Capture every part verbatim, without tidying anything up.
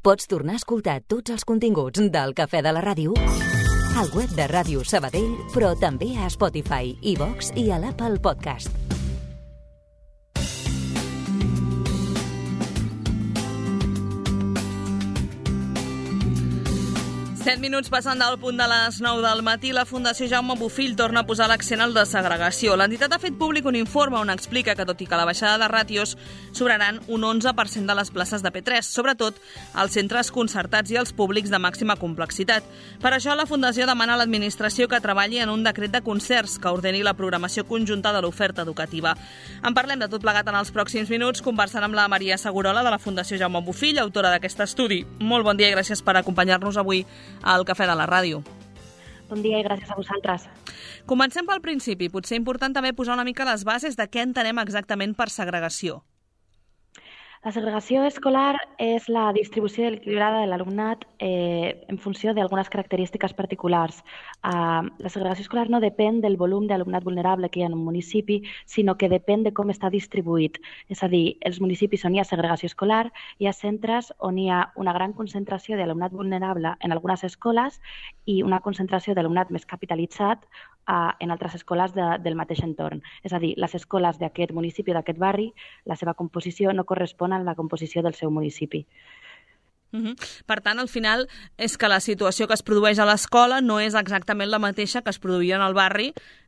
Pots tornar a escoltar tots els continguts del Cafè de la Ràdio al web de Ràdio Sabadell, però també a Spotify, iVox i a l'Apple Podcast. set minuts passant del punt de les nou del matí, la Fundació Jaume Bofill torna a posar l'accent al de segregació. L'entitat ha fet públic un informe on explica que, tot i que la baixada de ràtios, sobraran un onze per cent de les places de P tres, sobretot als centres concertats i als públics de màxima complexitat. Per això, la Fundació demana a l'administració que treballi en un decret de concerts que ordeni la programació conjunta de l'oferta educativa. En parlem de tot plegat en els pròxims minuts, conversant amb la Maria Segurola de la Fundació Jaume Bofill, autora d'aquest estudi. Molt bon dia i gràcies per acompanyar-nos avui al Cafè de la Ràdio. Bon dia i gràcies a vosaltres. Comencem pel principi. Potser important també posar una mica les bases de què entenem exactament per segregació. La segregació escolar és la distribució equilibrada de l'alumnat eh, en funció d'algunes característiques particulars. Uh, la segregació escolar no depèn del volum d'alumnat vulnerable que hi ha en un municipi, sinó que depèn de com està distribuït. És a dir, els municipis on hi ha segregació escolar, hi ha centres on hi ha una gran concentració d'alumnat vulnerable en algunes escoles i una concentració d'alumnat més capitalitzat uh, en altres escoles de, del mateix entorn. És a dir, les escoles d'aquest municipi o d'aquest barri, la seva composició no correspon en la composició del seu municipi. Uh-huh. Per tant, al final, és que la situació que es produeix a l'escola no és exactament la mateixa que es produïa en el barri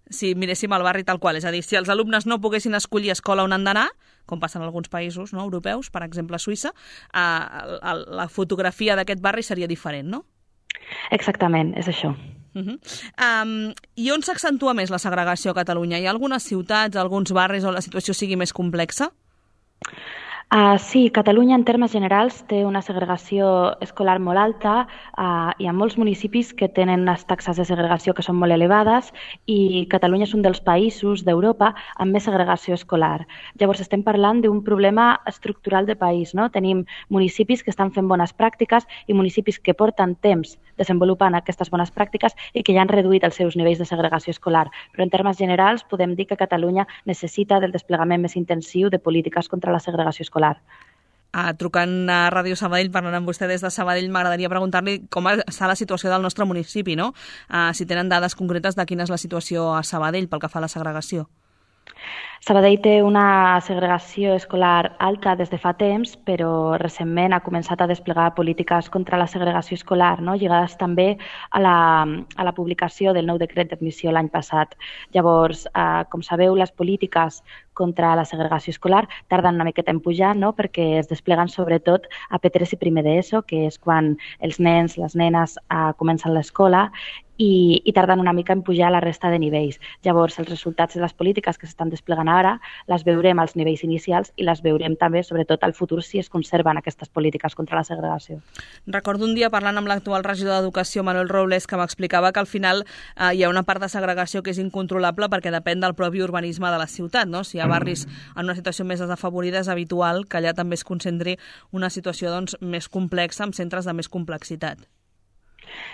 si miréssim el barri tal qual. És a dir, si els alumnes no poguessin escollir escola on han d'anar, com passa en alguns països no, europeus, per exemple Suïssa, eh, la fotografia d'aquest barri seria diferent, no? Exactament, és això. Uh-huh. Um, I on s'accentua més la segregació a Catalunya? Hi ha algunes ciutats, alguns barris on la situació sigui més complexa? Uh, sí, Catalunya en termes generals té una segregació escolar molt alta. Uh, hi ha molts municipis que tenen unes taxes de segregació que són molt elevades i Catalunya és un dels països d'Europa amb més segregació escolar. Llavors estem parlant d'un problema estructural de país, no? Tenim municipis que estan fent bones pràctiques i municipis que porten temps desenvolupant aquestes bones pràctiques i que ja han reduït els seus nivells de segregació escolar. Però en termes generals podem dir que Catalunya necessita del desplegament més intensiu de polítiques contra la segregació escolar. Ah, trucant a Ràdio Sabadell, parlant amb vostè des de Sabadell, m'agradaria preguntar-li com està la situació del nostre municipi, no? Ah, si tenen dades concretes de quina és la situació a Sabadell pel que fa a la segregació. Sabadell té una segregació escolar alta des de fa temps, però recentment ha començat a desplegar polítiques contra la segregació escolar, no? Lligades també a la, a la publicació del nou decret d'admissió l'any passat. Llavors, eh, com sabeu, les polítiques contra la segregació escolar tarden una miqueta en pujar, no? Perquè es despleguen sobretot a P tres i primer d'ESO, que és quan els nens, les nenes eh, comencen l'escola, i, i tarden una mica en pujar a la resta de nivells. Llavors, els resultats de les polítiques que s'estan desplegant ara les veurem als nivells inicials i les veurem també, sobretot, al futur si es conserven aquestes polítiques contra la segregació. Recordo un dia parlant amb l'actual regidor d'Educació, Manuel Robles, que m'explicava que al final eh, hi ha una part de segregació que és incontrolable perquè depèn del propi urbanisme de la ciutat, no? Si hi ha barris en una situació més desafavorida és habitual que allà també es concentri una situació doncs, més complexa amb centres de més complexitat.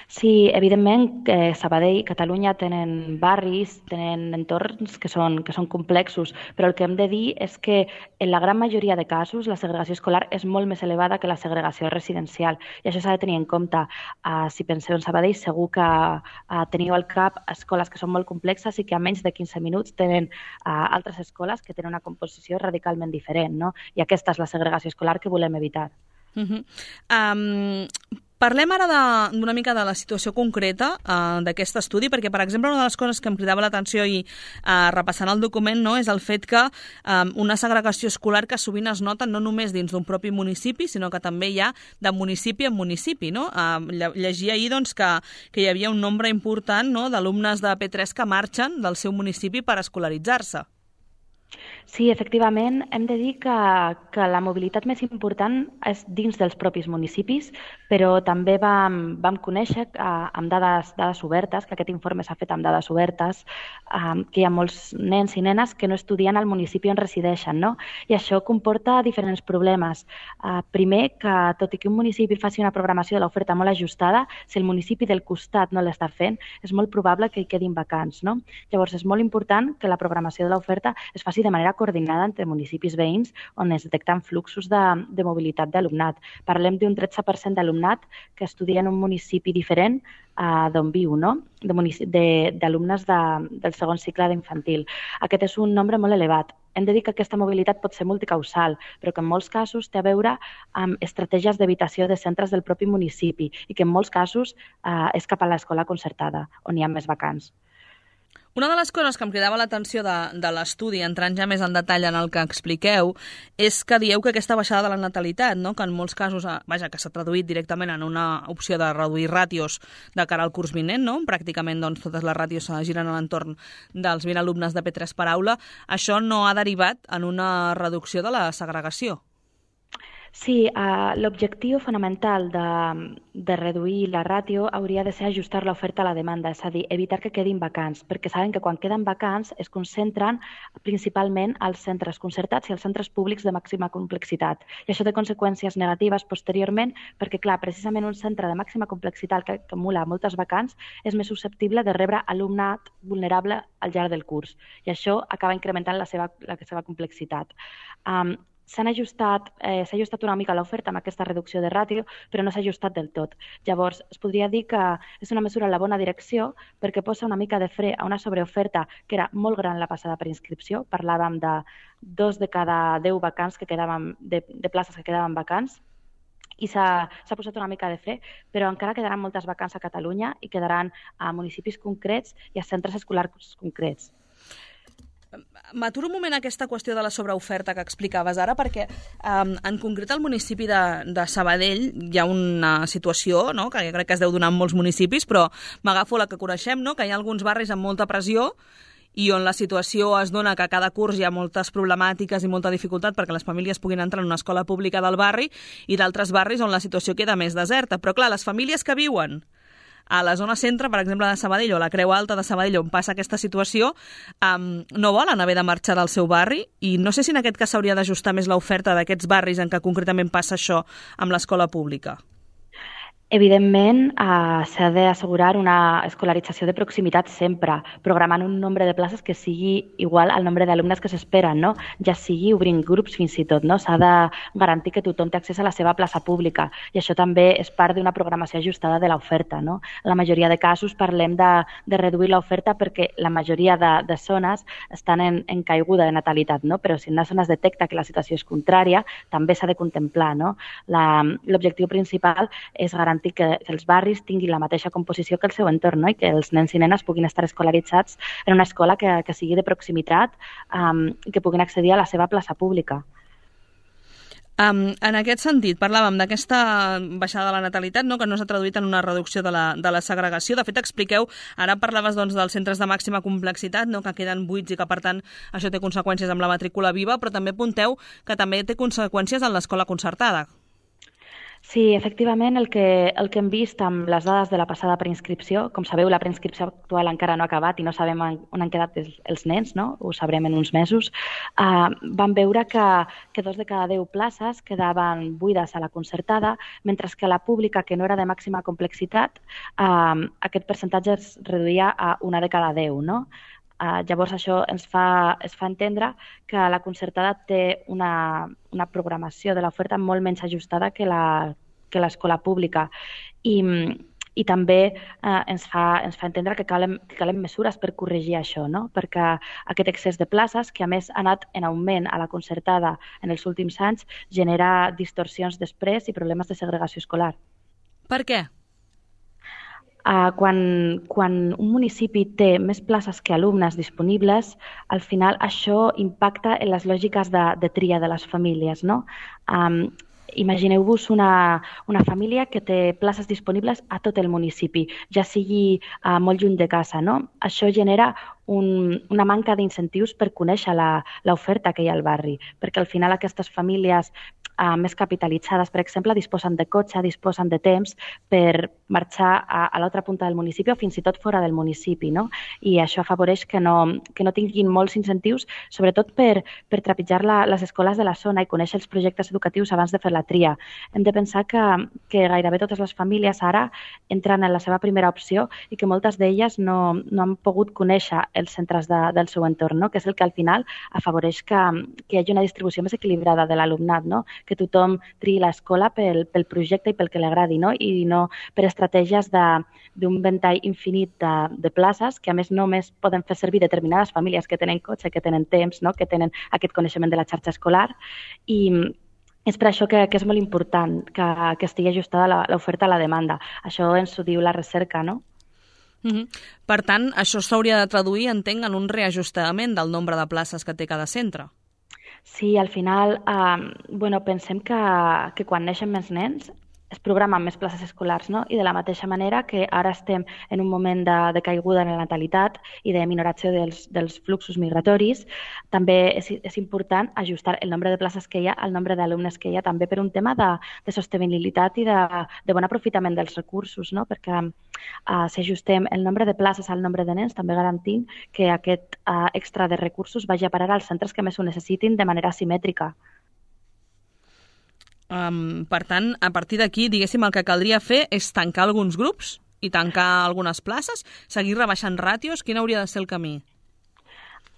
Sí, evidentment que Sabadell i Catalunya tenen barris, tenen entorns que són, que són complexos, però el que hem de dir és que en la gran majoria de casos la segregació escolar és molt més elevada que la segregació residencial i això s'ha de tenir en compte. Uh, si penseu en Sabadell, segur que uh, teniu al cap escoles que són molt complexes i que a menys de quinze minuts tenen uh, altres escoles que tenen una composició radicalment diferent, no? I aquesta és la segregació escolar que volem evitar. Uh-huh. Um... Parlem ara d'una mica de la situació concreta uh, d'aquest estudi, perquè, per exemple, una de les coses que em cridava l'atenció i uh, repassant el document no, és el fet que um, una segregació escolar que sovint es nota no només dins d'un propi municipi, sinó que també hi ha de municipi en municipi. No? Uh, llegia ahir doncs, que, que hi havia un nombre important no, d'alumnes de P tres que marxen del seu municipi per escolaritzar-se. Sí, efectivament, hem de dir que, que la mobilitat més important és dins dels propis municipis, però també vam, vam conèixer eh, amb dades, dades obertes, que aquest informe s'ha fet amb dades obertes, eh, que hi ha molts nens i nenes que no estudien al municipi on resideixen, no? I això comporta diferents problemes. Eh, primer, que tot i que un municipi faci una programació de l'oferta molt ajustada, si el municipi del costat no l'està fent, és molt probable que hi quedin vacants, no? Llavors, és molt important que la programació de l'oferta es faci de manera coordinada entre municipis veïns on es detecten fluxos de, de mobilitat d'alumnat. Parlem d'un tretze per cent d'alumnat que estudia en un municipi diferent uh, d'on viu, no? d'alumnes de, de, del segon cicle d'infantil. Aquest és un nombre molt elevat. Hem de dir que aquesta mobilitat pot ser multicausal, però que en molts casos té a veure amb estratègies d'evitació de centres del propi municipi i que en molts casos eh, és cap a l'escola concertada, on hi ha més vacants. Una de les coses que em cridava l'atenció de, de l'estudi, entrant ja més en detall en el que expliqueu, és que dieu que aquesta baixada de la natalitat, no? que en molts casos, vaja, que s'ha traduït directament en una opció de reduir ràtios de cara al curs vinent, no? Pràcticament doncs, totes les ràtios se giren a l'entorn dels vint alumnes de P tres per aula, això no ha derivat en una reducció de la segregació. Sí, uh, l'objectiu fonamental de, de reduir la ràtio hauria de ser ajustar l'oferta a la demanda, és a dir, evitar que quedin vacants, perquè saben que quan queden vacants es concentren principalment als centres concertats i als centres públics de màxima complexitat. I això té conseqüències negatives posteriorment, perquè, clar, precisament un centre de màxima complexitat que acumula moltes vacants és més susceptible de rebre alumnat vulnerable al llarg del curs, i això acaba incrementant la seva, la seva complexitat. Um, S'han ajustat, eh, s'ha ajustat una mica l'oferta amb aquesta reducció de ràtio, però no s'ha ajustat del tot. Llavors, es podria dir que és una mesura en la bona direcció perquè posa una mica de fre a una sobreoferta que era molt gran la passada preinscripció. Parlàvem de dos de cada deu vacants que quedaven, de, de places que quedaven vacants, i s'ha posat una mica de fre, però encara quedaran moltes vacants a Catalunya i quedaran a municipis concrets i a centres escolars concrets. M'aturo un moment aquesta qüestió de la sobreoferta que explicaves ara, perquè um, en concret al municipi de, de Sabadell hi ha una situació, no?, que crec que es deu donar en molts municipis, però m'agafo la que coneixem, no?, que hi ha alguns barris amb molta pressió i on la situació es dona que a cada curs hi ha moltes problemàtiques i molta dificultat perquè les famílies puguin entrar en una escola pública del barri, i d'altres barris on la situació queda més deserta. Però clar, les famílies que viuen a la zona centre, per exemple, de Sabadell, o la Creu Alta de Sabadell, on passa aquesta situació, um, no volen haver de marxar del seu barri, i no sé si en aquest cas s'hauria d'ajustar més l'oferta d'aquests barris en què concretament passa això amb l'escola pública. Evidentment, eh, s'ha d'assegurar una escolarització de proximitat sempre, programant un nombre de places que sigui igual al nombre d'alumnes que s'esperen, no? Ja sigui obrint grups fins i tot, no? S'ha de garantir que tothom té accés a la seva plaça pública, i això també és part d'una programació ajustada de l'oferta, no? En la majoria de casos parlem de, de reduir l'oferta perquè la majoria de, de zones estan en, en caiguda de natalitat, no? Però si en una zona es detecta que la situació és contrària, també s'ha de contemplar, no? L'objectiu principal és garantir que els barris tinguin la mateixa composició que el seu entorn, no? I que els nens i nenes puguin estar escolaritzats en una escola que, que sigui de proximitat um, i que puguin accedir a la seva plaça pública. Um, en aquest sentit, parlàvem d'aquesta baixada de la natalitat, no?, que no s'ha traduït en una reducció de la, de la segregació. De fet, expliqueu, ara parlaves doncs, dels centres de màxima complexitat, no?, que queden buits i que, per tant, això té conseqüències amb la matrícula viva, però també apunteu que també té conseqüències en l'escola concertada. Sí, efectivament, el que, el que hem vist amb les dades de la passada preinscripció, com sabeu, la preinscripció actual encara no ha acabat i no sabem on han quedat els, els nens, no? Ho sabrem en uns mesos, uh, vam veure que, que dos de cada deu places quedaven buides a la concertada, mentre que a la pública, que no era de màxima complexitat, uh, aquest percentatge es reduïa a una de cada deu, no? Uh, llavors això ens fa, es fa entendre que la concertada té una, una programació de l'oferta molt menys ajustada que la que l'escola pública, i, i també eh, ens, fa, ens fa entendre que calen, que calen mesures per corregir això, no? Perquè aquest excés de places, que a més ha anat en augment a la concertada en els últims anys, genera distorsions després i problemes de segregació escolar. Per què? Uh, quan, quan un municipi té més places que alumnes disponibles, al final això impacta en les lògiques de, de tria de les famílies, no? Um, Imagineu-vos una, una família que té places disponibles a tot el municipi, ja sigui uh, molt lluny de casa, no? Això genera un, una manca d'incentius per conèixer l'oferta que hi ha al barri, perquè al final aquestes famílies uh, més capitalitzades, per exemple, disposen de cotxe, disposen de temps per marxar a, a l'altra punta del municipi o fins i tot fora del municipi, no? I això afavoreix que no, que no tinguin molts incentius, sobretot per, per trepitjar la, les escoles de la zona i conèixer els projectes educatius abans de fer la tria. Hem de pensar que, que gairebé totes les famílies ara entren en la seva primera opció i que moltes d'elles no, no han pogut conèixer els centres de, del seu entorn, no? Que és el que al final afavoreix que, que hi hagi una distribució més equilibrada de l'alumnat, no? Que tothom triï l'escola pel, pel projecte i pel que li agradi, no? I no per estratègies d'un ventall infinit de, de places que a més només poden fer servir determinades famílies que tenen cotxe, que tenen temps, no? Que tenen aquest coneixement de la xarxa escolar i és per això que, que és molt important que, que estigui ajustada l'oferta a la demanda. Això ens ho diu la recerca, no? Uh-huh. Per tant, això s'hauria de traduir, entenc, en un reajustament del nombre de places que té cada centre. Sí, al final, eh, bueno, pensem que, que quan neixen més nens es programen més places escolars, no? I de la mateixa manera que ara estem en un moment de, de caiguda en la natalitat i de minoració dels, dels fluxos migratoris, també és, és important ajustar el nombre de places que hi ha al nombre d'alumnes que hi ha, també per un tema de, de sostenibilitat i de, de bon aprofitament dels recursos, no? Perquè uh, si ajustem el nombre de places al nombre de nens, també garantim que aquest uh, extra de recursos vagi a parar als centres que més ho necessitin de manera simètrica. Um, per tant, a partir d'aquí, diguéssim, el que caldria fer és tancar alguns grups i tancar algunes places, seguir rebaixant ràtios. Quin hauria de ser el camí?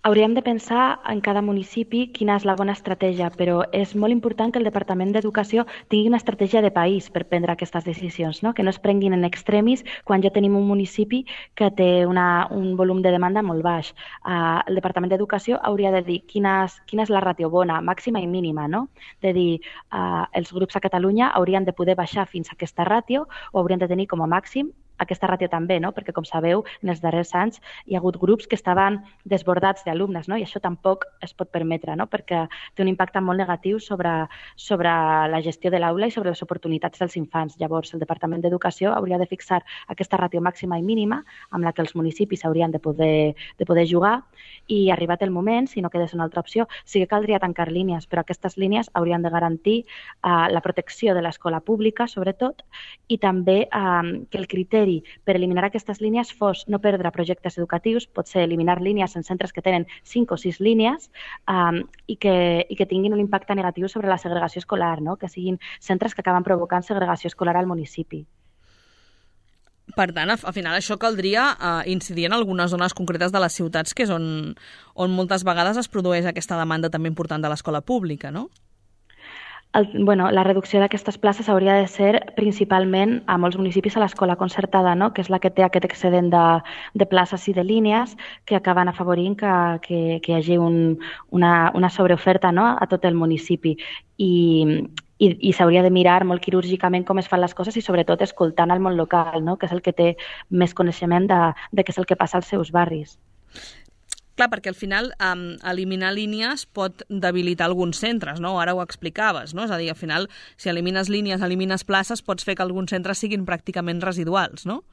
Hauríem de pensar en cada municipi quina és la bona estratègia, però és molt important que el Departament d'Educació tingui una estratègia de país per prendre aquestes decisions, no? Que no es prenguin en extremis quan ja tenim un municipi que té una, un volum de demanda molt baix. Uh, el Departament d'Educació hauria de dir quina és, quina és la ràtio bona, màxima i mínima, no? De dir, uh, els grups a Catalunya haurien de poder baixar fins a aquesta ràtio o haurien de tenir com a màxim aquesta ràtio també, no? Perquè, com sabeu, en els darrers anys hi ha hagut grups que estaven desbordats d'alumnes, no? I això tampoc es pot permetre, no? Perquè té un impacte molt negatiu sobre, sobre la gestió de l'aula i sobre les oportunitats dels infants. Llavors, el Departament d'Educació hauria de fixar aquesta ràtio màxima i mínima amb la que els municipis haurien de poder, de poder jugar i, arribat el moment, si no quedés una altra opció, sí que caldria tancar línies, però aquestes línies haurien de garantir uh, la protecció de l'escola pública, sobretot, i també uh, que el criteri per eliminar aquestes línies fos no perdre projectes educatius, potser eliminar línies en centres que tenen cinc o sis línies um, i, que, i que tinguin un impacte negatiu sobre la segregació escolar, no? Que siguin centres que acaben provocant segregació escolar al municipi. Per tant, al final això caldria uh, incidir en algunes zones concretes de les ciutats, que és on, on moltes vegades es produeix aquesta demanda també important de l'escola pública, no? El, bueno, la reducció d'aquestes places hauria de ser principalment a molts municipis a l'escola concertada, no? Que és la que té aquest excedent de, de places i de línies que acaben afavorint que, que, que hi hagi un, una, una sobreoferta, no? A tot el municipi. I, i, i s'hauria de mirar molt quirúrgicament com es fan les coses i sobretot escoltant el món local, no? Que és el que té més coneixement de, de què és el que passa als seus barris. Clar, perquè al final um, eliminar línies pot debilitar alguns centres, no? Ara ho explicaves, no? És a dir, al final, si elimines línies, elimines places, pots fer que alguns centres siguin pràcticament residuals, no?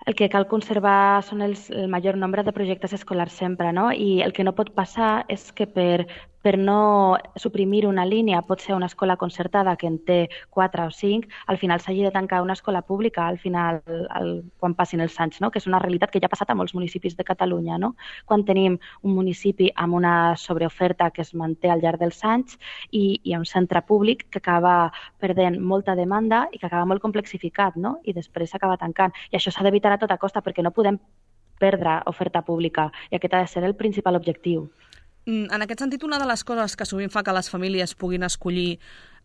El que cal conservar són els, el major nombre de projectes escolars sempre, no? I el que no pot passar és que per, per no suprimir una línia, pot ser una escola concertada que en té quatre o cinc, al final s'hagi de tancar una escola pública al final, el, quan passin els anys, no? Que és una realitat que ja ha passat a molts municipis de Catalunya, no? Quan tenim un municipi amb una sobreoferta que es manté al llarg dels anys i, i un centre públic que acaba perdent molta demanda i que acaba molt complexificat, no? I després s'acaba tancant. I això s'ha d'evitar a tota costa perquè no podem perdre oferta pública i aquest ha de ser el principal objectiu. En aquest sentit, una de les coses que sovint fa que les famílies puguin escollir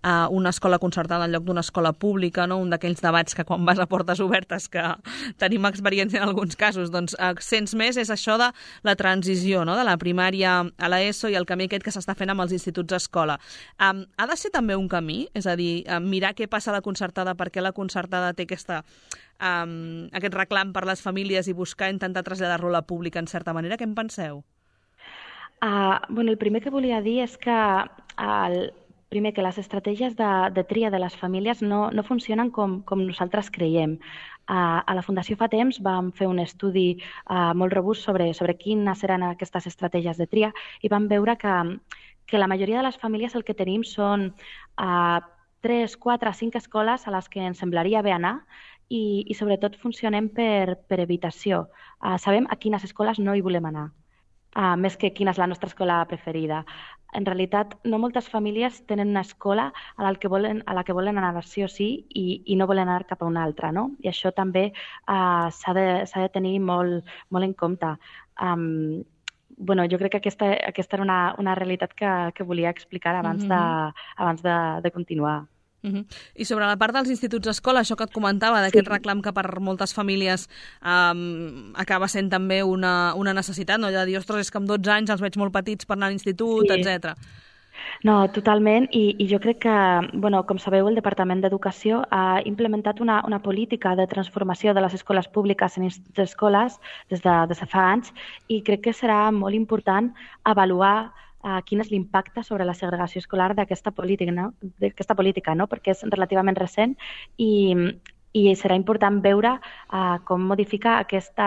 uh, una escola concertada en lloc d'una escola pública, no? Un d'aquells debats que quan vas a portes obertes, que tenim experiència en alguns casos, doncs uh, sents més, és això de la transició, no? De la primària a l'ESO i el camí aquest que s'està fent amb els instituts escola. Um, ha de ser també un camí? És a dir, uh, mirar què passa a la concertada, perquè la concertada té aquesta, um, aquest reclam per les famílies i buscar intentar traslladar-lo a la pública en certa manera. Què en penseu? Uh, bueno, el primer que volia dir és que el, primer que les estratègies de, de tria de les famílies no, no funcionen com, com nosaltres creiem. Uh, a la Fundació fa temps vam fer un estudi uh, molt robust sobre, sobre quines eren aquestes estratègies de tria i vam veure que, que la majoria de les famílies el que tenim són uh, tres, quatre, cinc escoles a les que ens semblaria bé anar i, i sobretot funcionem per, per evitació. Uh, sabem a quines escoles no hi volem anar, uh, més que quina és la nostra escola preferida. En realitat, no moltes famílies tenen una escola a la que volen, a la que volen anar sí o sí i, i no volen anar cap a una altra, no? I això també uh, s'ha de, s'ha de tenir molt, molt en compte. Um, bueno, jo crec que aquesta, aquesta era una, una realitat que, que volia explicar abans, mm-hmm. de, abans de, de continuar. Uh-huh. I sobre la part dels instituts escola, això que et comentava, d'aquest sí. reclam que per moltes famílies um, acaba sent també una, una necessitat, no? Ja de dir, ostres, és que amb dotze anys els veig molt petits per anar a l'institut, sí. etcètera. No, totalment, I, i jo crec que, bueno, com sabeu, el Departament d'Educació ha implementat una, una política de transformació de les escoles públiques en instituts d'escoles des de, des de fa anys i crec que serà molt important avaluar Uh, quin és l'impacte sobre la segregació escolar d'aquesta política, no? d'aquesta política, no? Perquè és relativament recent i, i serà important veure uh, com modifica aquesta,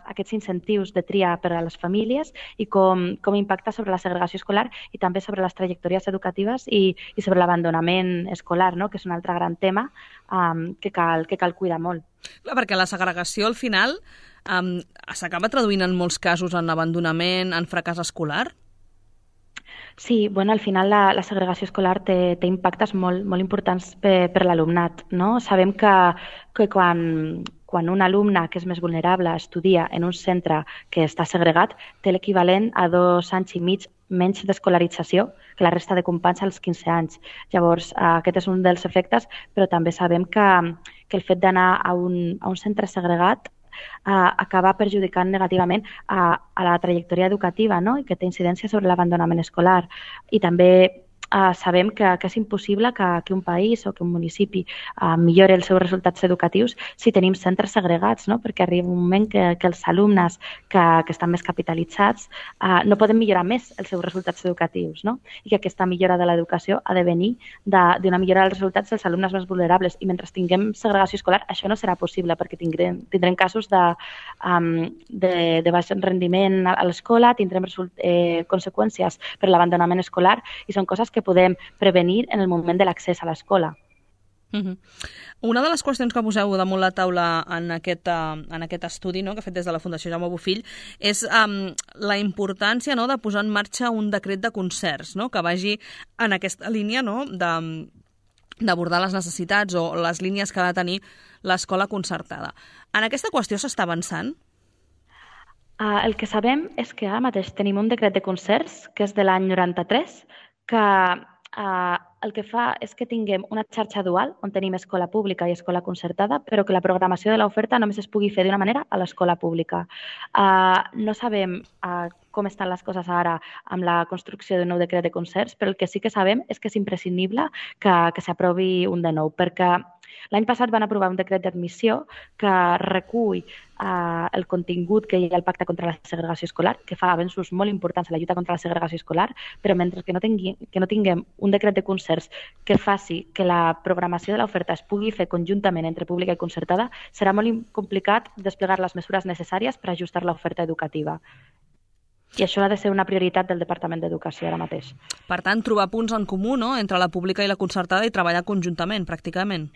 aquests incentius de tria per a les famílies i com, com impacta sobre la segregació escolar i també sobre les trajectòries educatives i, i sobre l'abandonament escolar, no? Que és un altre gran tema um, que, cal, que cal cuidar molt. Clar, perquè la segregació al final um, s'acaba traduint en molts casos en abandonament, en fracàs escolar? Sí, bueno, al final la, la segregació escolar té, té impactes molt, molt importants per, per l'alumnat, no? Sabem que, que quan, quan un alumne que és més vulnerable estudia en un centre que està segregat, té l'equivalent a dos anys i mig menys d'escolarització que la resta de companys als quinze anys. Llavors, aquest és un dels efectes, però també sabem que, que el fet d'anar a un, a un centre segregat Uh, acaba perjudicant negativament a, a la trajectòria educativa, no? I que té incidència sobre l'abandonament escolar. I també uh, sabem que, que és impossible que, que un país o que un municipi uh, millori els seus resultats educatius si tenim centres segregats, no? Perquè arriba un moment que, que els alumnes que, que estan més capitalitzats uh, no poden millorar més els seus resultats educatius, no? I que aquesta millora de l'educació ha de venir d'una millora dels resultats dels alumnes més vulnerables. I mentre tinguem segregació escolar, això no serà possible perquè tindrem, tindrem casos de, um, de, de baix rendiment a l'escola, tindrem result, eh, conseqüències per l'abandonament escolar i són coses que podem prevenir en el moment de l'accés a l'escola. Uh-huh. Una de les qüestions que poseu damunt la taula en aquest, uh, en aquest estudi, no?, que ha fet des de la Fundació Jaume Bofill és um, la importància, no?, de posar en marxa un decret de concerts, no?, que vagi en aquesta línia, no?, de, d'abordar les necessitats o les línies que ha de tenir l'escola concertada. En aquesta qüestió s'està avançant? Uh, el que sabem és que ara mateix tenim un decret de concerts, que és de l'any noranta-tres, que uh, el que fa és que tinguem una xarxa dual on tenim escola pública i escola concertada, però que la programació de l'oferta només es pugui fer d'una manera a l'escola pública. Uh, no sabem uh, com estan les coses ara amb la construcció d'un nou decret de concerts, però el que sí que sabem és que és imprescindible que, que s'aprovi un de nou, perquè l'any passat van aprovar un decret d'admissió que recull eh, el contingut que hi ha al Pacte contra la Segregació Escolar, que fa avenços molt importants a la lluita contra la segregació escolar, però mentre que no, tingui, que no tinguem un decret de concerts que faci que la programació de l'oferta es pugui fer conjuntament entre pública i concertada, serà molt complicat desplegar les mesures necessàries per ajustar l'oferta educativa. I això ha de ser una prioritat del Departament d'Educació ara mateix. Per tant, trobar punts en comú, no?, entre la pública i la concertada i treballar conjuntament, pràcticament.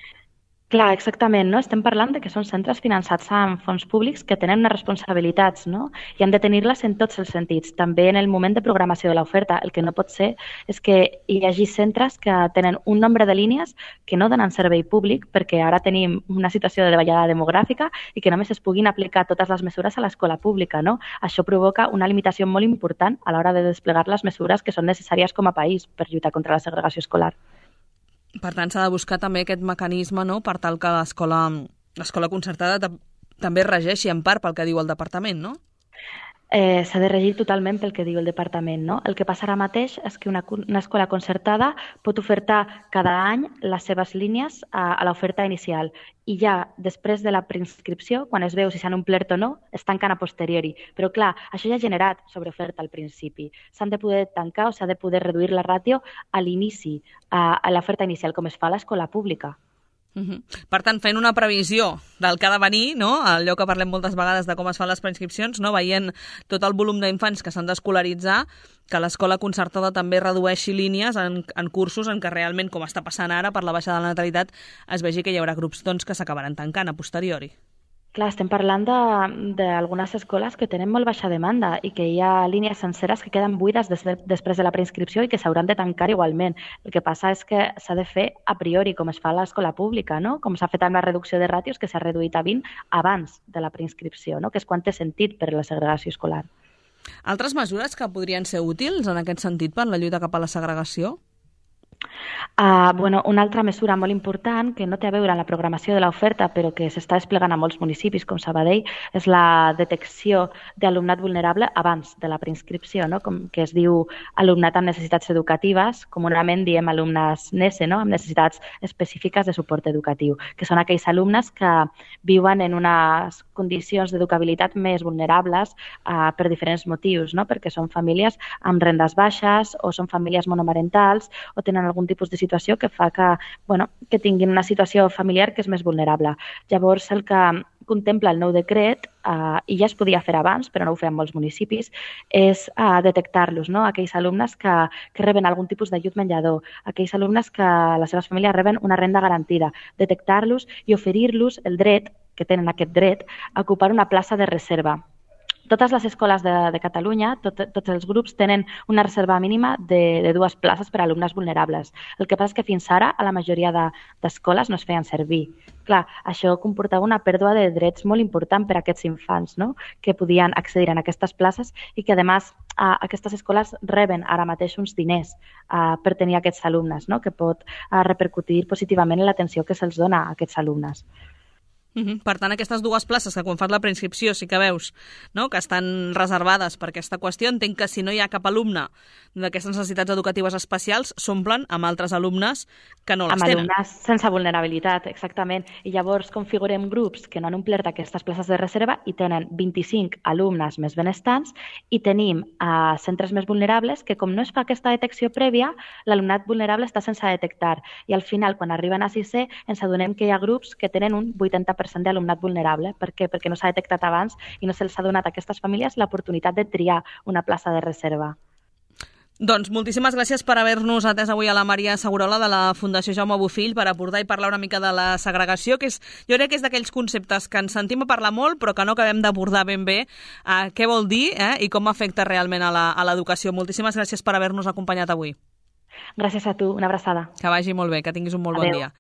Clar, exactament, no? Estem parlant de que són centres finançats amb fons públics que tenen unes responsabilitats, no? I han de tenir-les en tots els sentits, també en el moment de programació de l'oferta. El que no pot ser és que hi hagi centres que tenen un nombre de línies que no donen servei públic perquè ara tenim una situació de davallada demogràfica i que només es puguin aplicar totes les mesures a l'escola pública, no? Això provoca una limitació molt important a l'hora de desplegar les mesures que són necessàries com a país per lluitar contra la segregació escolar. Per tant, s'ha de buscar també aquest mecanisme, no?, per tal que l'escola, l'escola concertada també regeixi en part pel que diu el departament, no? Eh, s'ha de regir totalment pel que diu el departament, no? El que passa ara mateix és que una, una escola concertada pot ofertar cada any les seves línies a, a l'oferta inicial i ja després de la preinscripció, quan es veu si s'han omplert o no, es tanquen a posteriori. Però clar, això ja ha generat sobreoferta al principi. S'han de poder tancar o s'ha de poder reduir la ràtio a l'inici, a, a l'oferta inicial, com es fa a l'escola pública. Uh-huh. Per tant, fent una previsió del que ha de venir, no? Allò que parlem moltes vegades de com es fan les preinscripcions, no? Veient tot el volum d'infants que s'han d'escolaritzar, que l'escola concertada també redueixi línies en, en cursos en què realment, com està passant ara per la baixada de la natalitat, es vegi que hi haurà grups doncs, que s'acabaran tancant a posteriori. Clar, estem parlant d'algunes de, escoles que tenen molt baixa demanda i que hi ha línies senceres que queden buides des de, després de la preinscripció i que s'hauran de tancar igualment. El que passa és que s'ha de fer a priori, com es fa a l'escola pública, no? Com s'ha fet amb la reducció de ràtios, que s'ha reduït a vint abans de la preinscripció, no? Que és quan té sentit per la segregació escolar. Altres mesures que podrien ser útils en aquest sentit per la lluita cap a la segregació? Uh, bueno, una altra mesura molt important que no té a veure amb la programació de l'oferta però que s'està desplegant a molts municipis com Sabadell és la detecció d'alumnat vulnerable abans de la preinscripció, no? Com que es diu alumnat amb necessitats educatives, comunament diem alumnes NESE, no? Amb necessitats específiques de suport educatiu, que són aquells alumnes que viuen en unes condicions d'educabilitat més vulnerables uh, per diferents motius, no? Perquè són famílies amb rendes baixes o són famílies monomarentals o tenen algun tipus de situació que fa que, bueno, que tinguin una situació familiar que és més vulnerable. Llavors, el que contempla el nou decret, eh, i ja es podia fer abans, però no ho feien molts municipis, és eh, detectar-los, no? Aquells alumnes que, que reben algun tipus d'ajut menjador, aquells alumnes que les seves famílies reben una renda garantida, detectar-los i oferir-los el dret, que tenen aquest dret, a ocupar una plaça de reserva. Totes les escoles de, de Catalunya, tot, tots els grups tenen una reserva mínima de, de dues places per a alumnes vulnerables. El que passa és que fins ara a la majoria d'escoles de, no es feien servir. Clar, això comportava una pèrdua de drets molt important per a aquests infants, no? Que podien accedir a aquestes places i que, a més, a, aquestes escoles reben ara mateix uns diners a, per tenir aquests alumnes, no? Que pot a, repercutir positivament en l'atenció que se'ls dona a aquests alumnes. Uh-huh. Per tant, aquestes dues places que quan fas la preinscripció sí que veus, no?, que estan reservades per aquesta qüestió, entenc que si no hi ha cap alumne d'aquestes necessitats educatives especials s'omplen amb altres alumnes que no les amb tenen. Amb alumnes sense vulnerabilitat, exactament. I llavors configurem grups que no han omplert aquestes places de reserva i tenen vint-i-cinc alumnes més benestants i tenim uh, centres més vulnerables que, com no es fa aquesta detecció prèvia, l'alumnat vulnerable està sense detectar. I al final, quan arriben a sisè, ens adonem que hi ha grups que tenen un vuitanta per cent d'alumnat vulnerable. Per què? Perquè no s'ha detectat abans i no se'ls ha donat a aquestes famílies l'oportunitat de triar una plaça de reserva. Doncs moltíssimes gràcies per haver-nos atès avui a la Maria Segurola de la Fundació Jaume Bofill per abordar i parlar una mica de la segregació, que és, jo crec que és d'aquells conceptes que ens sentim a parlar molt però que no acabem d'abordar ben bé eh, què vol dir eh, i com afecta realment a l'educació. Moltíssimes gràcies per haver-nos acompanyat avui. Gràcies a tu, una abraçada. Que vagi molt bé, que tinguis un molt Adeu. Bon dia.